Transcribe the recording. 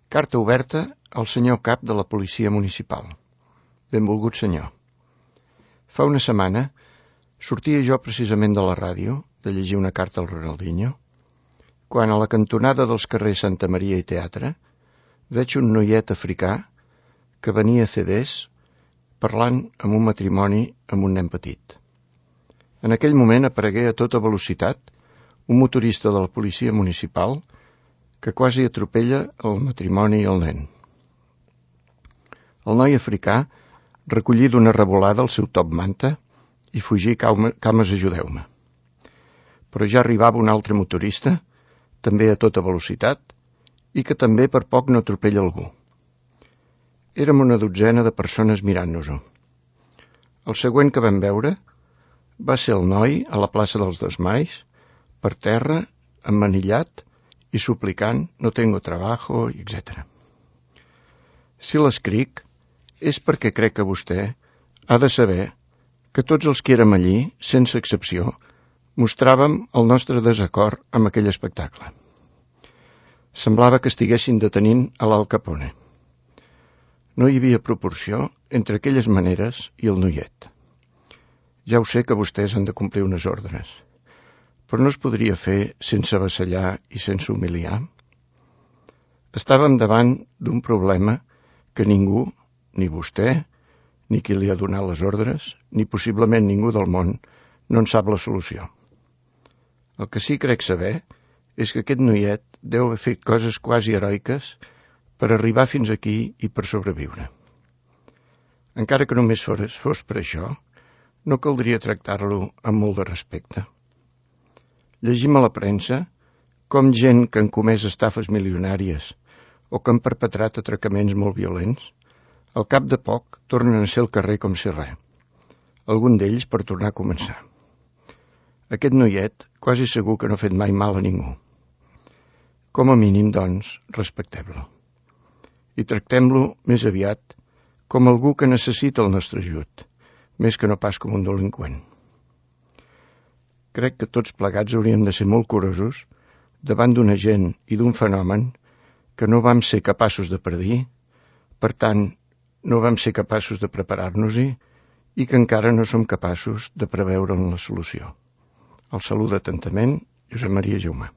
Carta oberta al senyor cap de la policia municipal. Benvolgut senyor. Fa una setmana sortia jo precisament de la ràdio de llegir una carta al Ronaldinho, quan a la cantonada dels carrers Santa Maria i Teatre veig un noiet africà que venia a CDs parlant amb un matrimoni amb un nen petit. En aquell moment aparegué a tota velocitat un motorista de la policia municipal que quasi atropella el matrimoni i el nen. El noi africà recollí d'una revolada el seu top manta i fugí cames ajudeu-me. Però ja arribava un altre motorista, també a tota velocitat, i que també per poc no atropella algú. Érem una dotzena de persones mirant-nos-ho. El següent que vam veure va ser el noi a la plaça dels Desmais, per terra, emmanillat i suplicant «no tengo trabajo», etc. Si l'escric és perquè crec que vostè ha de saber que tots els que érem allí, sense excepció, mostràvem el nostre desacord amb aquell espectacle. Semblava que estiguessin detenint a l'Al Capone. No hi havia proporció entre aquelles maneres i el noiet. Ja ho sé que vostès han de complir unes ordres, però no es podria fer sense avassallar i sense humiliar. Estàvem davant d'un problema que ningú, ni vostè, ni qui li ha donat les ordres, ni possiblement ningú del món, no en sap la solució. El que sí crec saber és que aquest noiet deu haver fet coses quasi heroiques per arribar fins aquí i per sobreviure. Encara que només fos per això, no caldria tractar-lo amb molt de respecte. Llegim a la premsa com gent que han comès estafes milionàries o que han perpetrat atracaments molt violents, al cap de poc tornen a ser al carrer com si res. Algun d'ells per tornar a començar. Aquest noiet quasi segur que no ha fet mai mal a ningú. Com a mínim, doncs, respectem-lo. I tractem-lo més aviat com algú que necessita el nostre ajut, més que no pas com un delinqüent. Crec que tots plegats hauríem de ser molt curosos davant d'una gent i d'un fenomen que no vam ser capaços de predir, per tant, no vam ser capaços de preparar-nos-hi i que encara no som capaços de preveure'n la solució. El saluda atentament Josep Maria Jaume.